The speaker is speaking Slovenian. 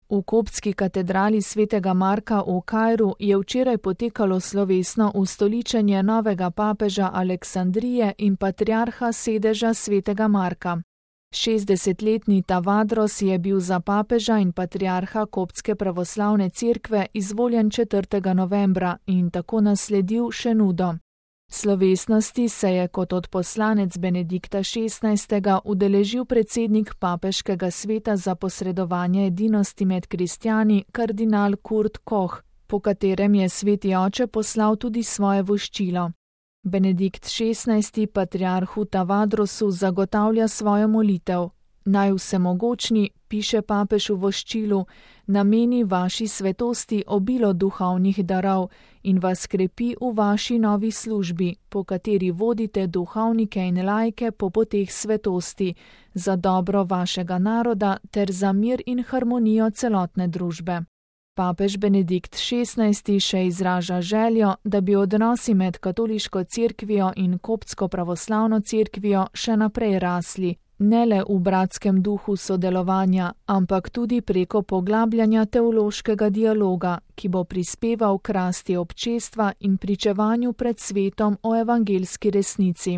V koptski katedrali svetega Marka v Kairu je včeraj potekalo slovesno ustoličenje novega papeža Aleksandrije in patriarha sedeža svetega Marka. 60-letni Tavadros je bil za papeža in patriarha koptske pravoslavne cerkve izvoljen 4. novembra in tako nasledil še nudo. Slovesnosti se je kot odposlanec Benedikta XVI. Udeležil predsednik papeškega sveta za posredovanje edinosti med kristjani kardinal Kurt Koch, po katerem je sveti oče poslal tudi svoje voščilo. Benedikt XVI. Patriarhu Tavadrosu zagotavlja svojo molitev. Naj vsemogočni, piše papež v voščilu, nameni vaši svetosti obilo duhovnih darov in vas krepi v vaši novi službi, po kateri vodite duhovnike in laike po poteh svetosti, za dobro vašega naroda ter za mir in harmonijo celotne družbe. Papež Benedikt XVI. Še izraža željo, da bi odnosi med katoliško cerkvijo in koptsko pravoslavno cerkvijo še naprej rasli, ne le v bratskem duhu sodelovanja, ampak tudi preko poglabljanja teološkega dialoga, ki bo prispeval k rasti občestva in pričevanju pred svetom o evangeljski resnici.